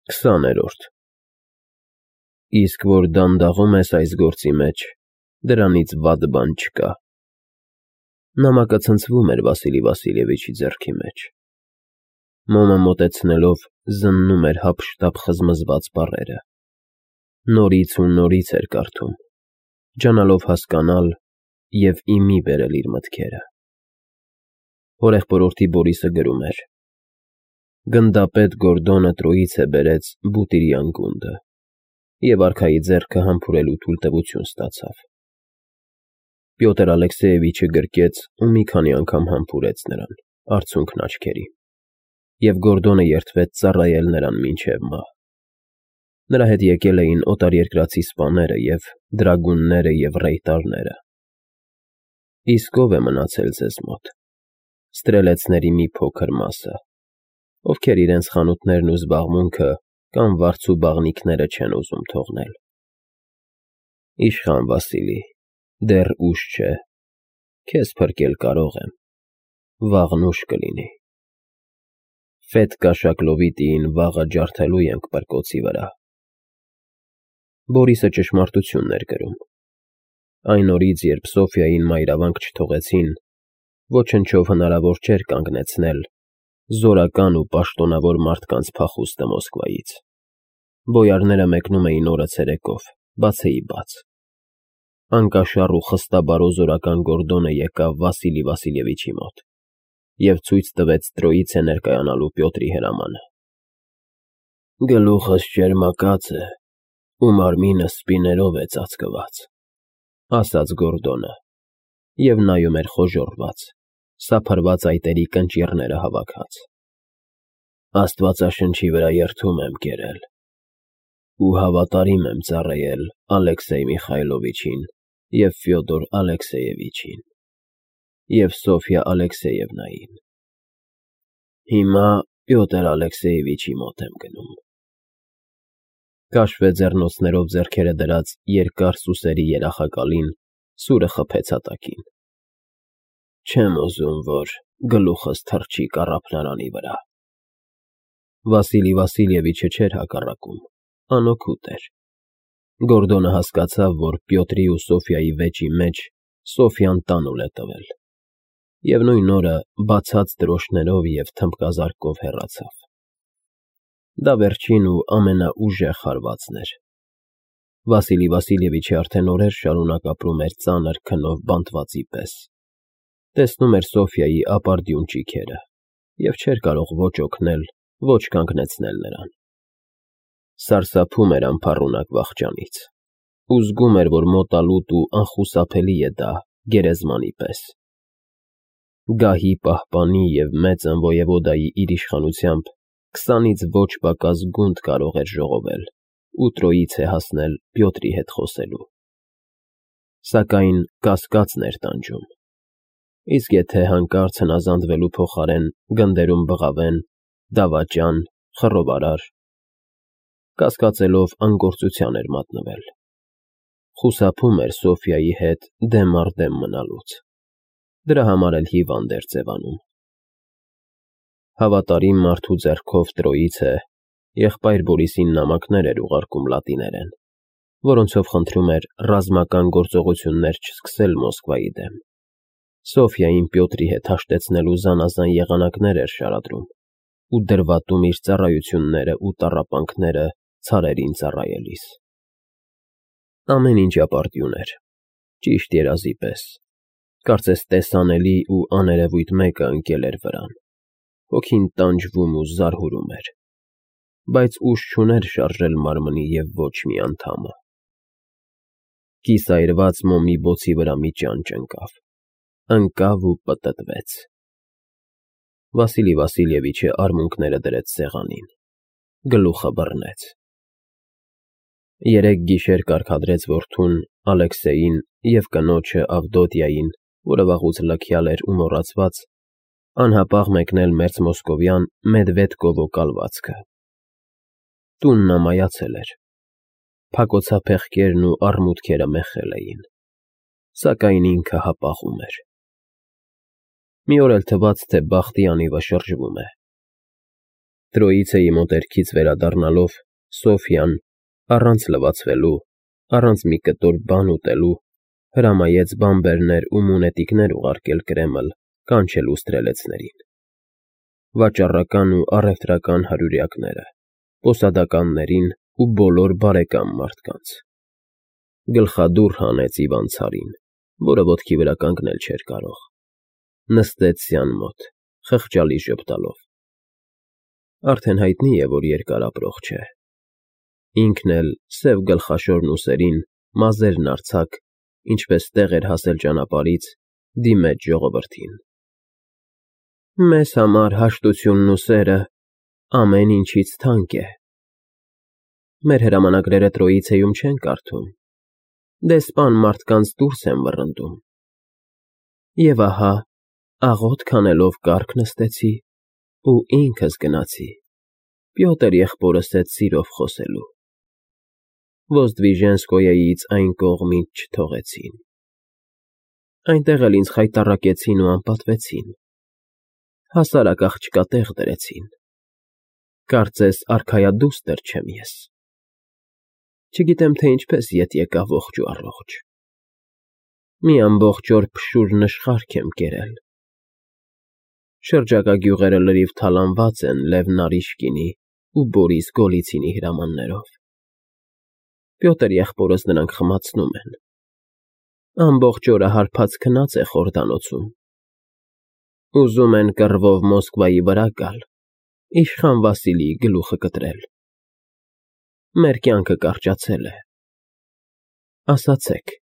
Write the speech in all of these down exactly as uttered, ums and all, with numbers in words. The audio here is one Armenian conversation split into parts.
Քսաներորդ Իսկ որ դանդաղում ես այս գործի մեջ, դրանից վատ բան չկա։ Նամակը ցնցվում էր Վասիլի Վասիլևիչի ձեռքի մեջ։ Մոմը մոտեցնելով զննում էր հափշտապ խզմզված բառերը։ Նորից ու նորից էր կարդում, ջանալով հասկանալ և ի մի բերել իր մտքերը։ Հորեղբորորդի Բորիսը գրում էր. Գնդապետ Գորդոնը Տրոյիցե բերեց բուտիրի անկունդը և արքայի ձեռքը համբուրելու թույլտվություն ստացավ։ Պյոտր Ալեքսեևիչը գրկեց ու մի քանի անգամ համբուրեց նրան, արցունքն աչքերի, և Գորդոնը երդվեց ծառայել նրան մինչև մահ։ Նրա հետ եկել էին օտարերկրացի սպաները և դրագունները և ռեյտարները։ Իսկ ո՞վ է մնացել ձեզ մոտ։ Ստրելեցների մի փոքր մասը, ովքեր իրենց խանութներն ու զբաղմունքը կամ վարձու բաղնիքները չեն ուզում թողնել։ Իշխան Վասիլի, դեռ ուշ չէ, քեզ փրկել կարող եմ, վաղն ուշ կլինի։ Ֆետկա Շակլովիտիին վաղը ջարդելու ենք պրկոցի վրա։ Բորիսը ճշմարտությունն էր գրում։ Այն օրից, երբ Սոֆյային մայրավանք չթողեցին, ոչնչով հնարավոր չէր կանգնեցնել զորական ու պաշտոնավոր մարդկանց փախուստը Մոսկվայից։ Բոյարները մեկնում էին օրը ցերեկով, բացեի բաց։ Անկաշառ ու խստաբարոզորական Գորդոնը եկավ Վասիլի Վասիլևիչի մոտ և ցույց տվեց Տրոյիցե ներկայանալու Պյոտրի հրամանը։ Գլուխս ճերմակած է ու մարմինս սպիներով է ծածկված, ասաց Գորդոնը, և նայում էր խոժոռված, սափրված այտերի կնճիռները հավաքած։ Աստվածաշնչի վրա երդում եմ կերել ու հավատարիմ եմ ծառայել Ալեքսեյ Միխայլովիչին և Ֆյոդոր Ալեքսեյևիչին և Սոֆյա Ալեքսեևնային։ Հիմա Պյոտր Ալեքսեևիչի մոտ եմ գնում։ Քաշվե ձեռնոցներով ձեռքերը դրած երկար սուսերի երախակալին սուրը խփեց հատակին։ Չեմ ուզում, որ գլուխս թռչի կառափլարանի վրա։ Վասիլի Վասիլևիչը չէր հակառակում, անօգուտ էր։ Գորդոնը հասկացավ, որ Պյոտրի ու Սոֆյայի վեճի մեջ Սոֆյան տանուլ է տվել, և նույն օրը բացած դրոշներով և թմբկազարկով հեռացավ։ Դա վերջին ու ամենաուժեղ հարվածն էր։ Վասիլի Վասիլևիչը արդեն օրեր շարունակ ապրում էր ծանր քնով բանտվածի պես, տեսնում էր Սոֆյայի ապարդյուն ճիգերը և չէր կարող ոչ օգնել, ոչ կանգնեցնել նրան։ Սարսափում էր անփառունակ վախճանից ու զգում էր, որ մոտալուտ ու անխուսափելի է դա գերեզմանի պես։ Գահի պահպանի և մեծն ոևոդայի իր իշխանությամբ քսանից ոչ պակաս գունդ կարող էր ժողովել ու Տրոյիցե հասնել Պյոտրի հետ խոսելու։ Սակայն կասկածն էր տանջում։ Իսկ եթե հանկարծ հնազանդվելու փոխարեն գնդերում բղավեն դավաճան, խռովարար։ Կասկածելով անգործության էր մատնվել։ Խուսափում էր Սոֆյայի հետ դեմ առ դեմ մնալուց։ Դրա համար էլ հիվանդ էր ձևանում։ Հավատարիմ մարդու ձեռքով Տրոյիցե եղբայր Բորիսին նամակներ էր ուղարկում լատիներեն, որոնցով խնդրում էր ռազմական գործողություններ չսկսել Մոսկվայի դեմ։ Սոֆյային Պյոտրի հետ հաշտեցնելու զանազան եղանակներ էր շարադրում ու դրվատում իր ծառայությունները ու տառապանքները ցարերին ծառայելիս։ Ամեն ինչ ապարդյուն էր, ճիշտ երազի պես, կարծես տեսանելի ու աներևույթ մեկը ընկել էր վրան, հոգին տանջվում ու զարհուրում էր, բայց ուժ չուներ շարժել մարմնի և ոչ մի անդամը։ Կիսայրված մոմի բոցի վրա մի ճան ճնկավ, ընկավ ու պտտվեց։ Վասիլի Վասիլևիչը արմունկները դրեց սեղանին, գլուխը բռնեց։ Երեք գիշեր կարգադրեց որդուն Ալեքսեյին և կնոջը Ավդոտյային, որը վաղուց լքյալ էր ու մոռացված, անհապաղ մեկնել մերձմոսկովյան Մեդվեդկովո կալվածքը։ Տունն ամայացել էր, փակոցափեղկերն ու առմուտքերը մեխել էին, սակայն ինքը հապաղում էր։ Մի օր էլ թվաց, թե բախտի անիվը շրջվում է։ Տրոյիցեի մոտերքից վերադառնալով, Սոֆյան, առանց լվացվելու, առանց մի կտոր բան ուտելու, հրամայեց բանբերներ ու մունետիկներ ուղարկել Կրեմլ կանչելու ստրելեցներին, վաճառական ու առևտրական հարյուրյակները, պոսադականներին ու բոլոր բարեկամ մարդկանց։ Գլխադուռ հանեց Իվան ցարին, որը ոտքի վրա կանգնել չէր կարող, նստեց սյան մոտ, խղճալի ժպտալով։ Արդեն հայտնի է, որ երկար ապրող չէ։ Ինքն էլ սև գլխաշորն ուսերին, մազերն արձակ, ինչպես տեղ էր հասել ճանապարհից, դիմեց ժողովրդին։ Մեզ համար հաշտությունն ու սերը ամեն ինչից թանկ է։ Մեր հրամանագրերը Տրոյիցեում չեն կարդում, դեսպան մարդկանց դուրս են վռնդում։ Եվ ահա, աղոթք անելով կառք նստեցի ու ինքս գնացի, Պյոտր եղբորս հետ սիրով խոսելու։ Ոզդվիժենսկոյեից այն կողմից չթողեցին։ Այնտեղ էլ ինձ խայտառակեցին ու անպատվեցին, հասարակ աղջկա տեղ դրեցին, կարծես արքայադուստր չեմ ես։ Չգիտեմ, թե ինչպես ետ եկա ողջ ու առողջ։ Մի ամբողջ օր փշուր նշխարք եմ կերել։ Շրջակա գյուղերը լրիվ թալանված են Լև Նարիշկինի ու Բորիս Գոլիցինի հրամաններով։ Պյոտր եղբորս նրանք խմացնում են։ Ամբողջ օրը հարբած քնած է խորդանոցում։ Ուզում են կռվով Մոսկվայի վրա գալ, իշխան Վասիլիի գլուխը կտրել։ Մեր կյանքը կարճացել է։ Ասացեք,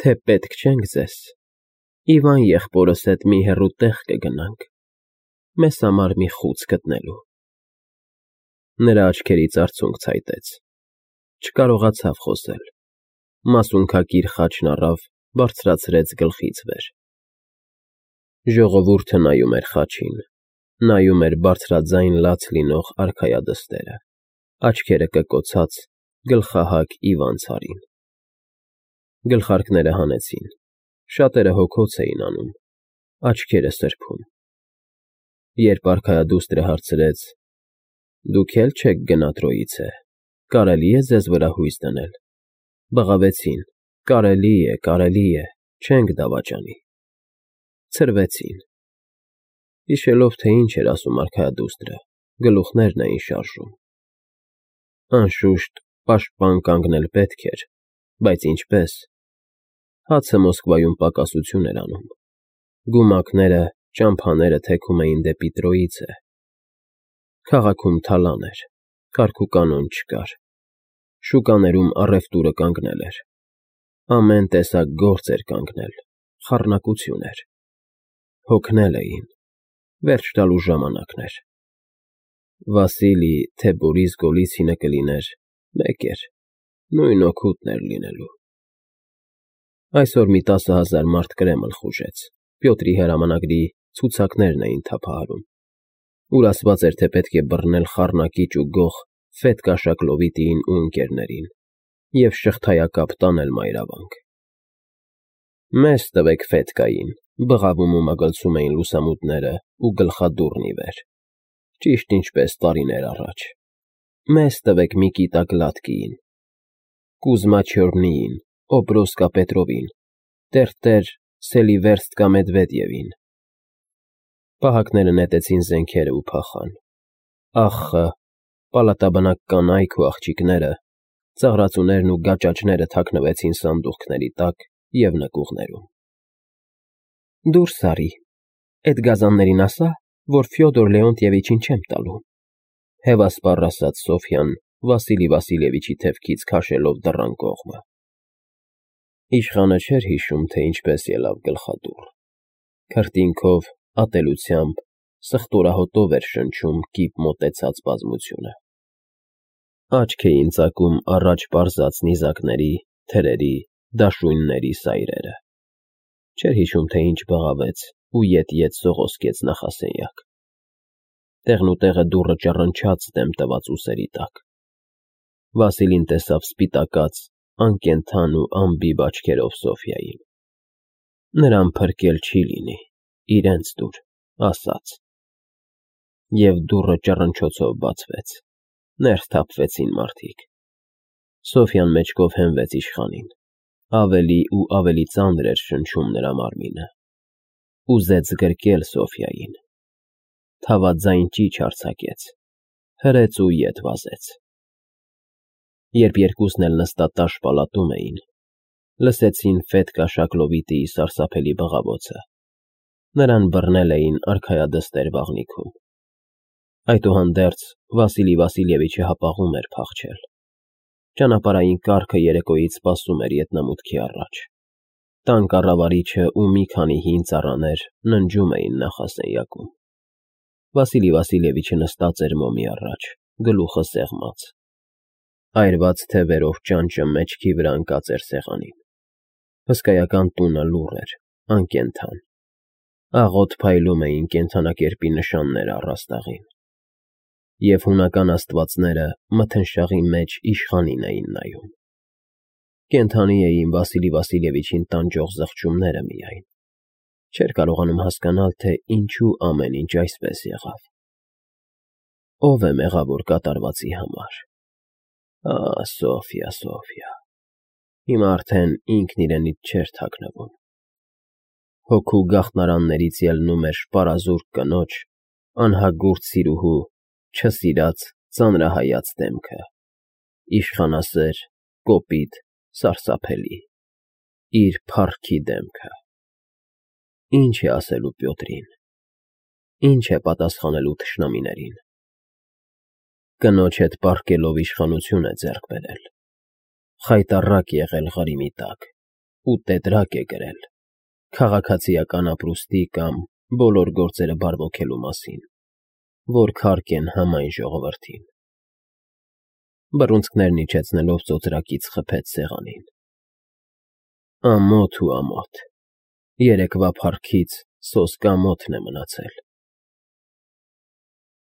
թե պետք չենք ձեզ, Իվան եղբորս հետ մի հեռու տեղ կգնանք, մեզ համար մի խուց գտնելու։ Նրա աչքերից արցունք ցայտեց, չկարողացավ խոսել, մասունքակիր խաչն առավ, բարձրացրեց գլխից վեր։ Ժողովուրդը նայում էր խաչին, նայում էր բարձրաձայն լաց լինող արքայադստերը, աչքերը կկոցած, գլխահակ Իվան ցարին։ Գլխարկները հանեցին, շատերը հոգոց էին անում, աչքերը սրբում։ Երբ արքայադուստրը հարցրեց. Դուք էլ չեք գնա Տրոյիցե, կարելի է ձեզ վրա հույս դնել։ Բղավեցին. կարելի է, կարելի է, չենք դավաճանի։ Ցրվեցին։ Հիշելով, թե ինչ էր ասում արքայադուստրը, գլուխներն էին շարժում։ Անշուշտ, պաշտպան կանգնել պետք էր, բայց ինչպես։ Հացը Մոսկվայում պակասություն էր անում։ Գումակները, ճամփաները թեքում էին դեպի Տրոյիցե։ Քաղաքում թալան էր, կարգուկանոն չկար։ Շուկաներում առևտուրը կանգնել էր։ Ամեն տեսակ գործ էր կանգնել, խառնակություն էր։ Հոգնել էին, վերջ տալու ժամանակն էր։ Վասիլի, թե Բորիս Գոլիցինը կլիներ, մեկ էր, նույն օգուտն էր լինելու։ Այսօր մի տասը հազար մարդ Կրեմլ խուժեց, Պյոտրի հրամանագրի ցուցակներն էին թափահարում, ուր ասված էր, թե պետք է բռնել խառնակիչ ու գող Ֆետկա Շակլովիտիին ու ընկերներին և շղթայակապ տանել մայրավանք։ Մեզ տվեք Ֆետկային, բղավում ու մագլցում էին լուսամուտները ու գլխադուռն ի վեր, ճիշտ ինչպես տարիներ առաջ։ Մեզ տվեք Միկիտա Գլատկիին, Կուզմա Չյորնիին, Օբրոսկա Պետրովին, Տերտեր Սելիվերստկա Մեդվեդևին։ Պահակները նետեցին զենքերը ու փախան։ Ախը, պալատաբնակ կանայք ու աղջիկները, ծաղրածուներն ու գաճաճները թաքնվեցին սանդուղքների տակ և նկուղներում։ Դուրս արի, էդ գազաններին ասա, որ Ֆյոդոր Լեոնտիևիչին չեմ տալու, հևասպառ ասաց Սոֆյան Վասիլի Վասիլևիչի թևքից քաշելով դռան կողմը։ Իշխանը չէր հիշում, թե ինչպես ելավ գլխադուռ։ Քրտինքով, ատելությամբ, սխտորահոտով էր շնչում կիպ մոտեցած բազմությունը։ Աչք էին ծակում առաջ պարզած նիզակների, թրերի, դաշույնների սայրերը։ Չէր հիշում, թե ինչ բղավեց ու ետ-ետ սողոսկեց նախասենյակ։ Տեղնուտեղը դուռը ճռնչաց դեմ տված ուսերի տակ։ Վասիլին տեսավ սպիտակած, անկենդան ու անբիբ աչքերով Սոֆյային։ Նրան փրկել չի լինի, իրենց դուր, ասաց։ և դուռը ճռնչոցով բացվեց, ներս թափվեցին մարդիկ։ Սոֆյան մեջքով հենվեց իշխանին, ավելի ու ավելի ծանր էր շնչում նրա մարմինը, ուզեց գրկել Սոֆյային, թավաձայն ճիչ արձակեց, հրեց ու ետ վազեց։ Երբ երկուսն էլ նստատաշ պալատում էին, լսեցին Ֆետկա Շակլովիտիի սարսափելի բղավոցը, նրան բռնել էին արքայադստեր վաղնիքում։ Այդուհանդերձ Վասիլի Վասիլևիչը հապաղում էր փախչել։ Ճանապարհային կառքը երեկոյից սպասում էր ետնամուտքի առաջ։ Տան կառավարիչը ու մի քանի հին ծառաներ ննջում էին նախասենյակում։ Վասիլի Վասիլևիչը նստած էր մոմի առաջ, գլուխը սեղմած։ Այրված թևերով ճանճը մեջքի վրա ընկած էր սեղանին։ Հսկայական տունը լուռ էր, անկենդան։ Աղոտ փայլում էին կենդանակերպի նշանները առաստաղին։ Եվ հունական աստվածները մթնշաղի մեջ իշխանին էին նայում։ Կենդանի էին Վասիլի Վասիլևիչին տանջող զղջումները միայն։ Չէր կարողանում հասկանալ, թե ինչու ամեն ինչ այսպես եղավ։ Ո՞վ է մեղավոր կատարվածի համար։ Ա՜, Սոֆյա, Սոֆյա, հիմա արդեն ինքն իրենից չէր թաքնվում։ Հոգու գաղտնարաններից ելնում էր շպարազուրկ կնոջ, անհագուրդ սիրուհու, չսիրած, ծանրահայաց դեմքը, իշխանասեր, կոպիտ, սարսափելի, իր փառքի դեմքը։ Ինչ է ասելու Պյոտրին, ինչ է պատասխանելու թշնամիներին։ Կնոջ հետ պառկելով իշխանություն է ձեռք բերել, խայտառակ եղել Ղրիմի տակ ու տետրակ է գրել քաղաքացիական ապրուստի կամ բոլոր գործերը բարվոքելու մասին, որ քարկ են համայն ժողովրդին։ Բռունցքներն իջեցնելով ծոծրակից խփեց սեղանին։ Ամոթ ու ամոթ, երեկվա փառքից սոսկամոթն է մնացել։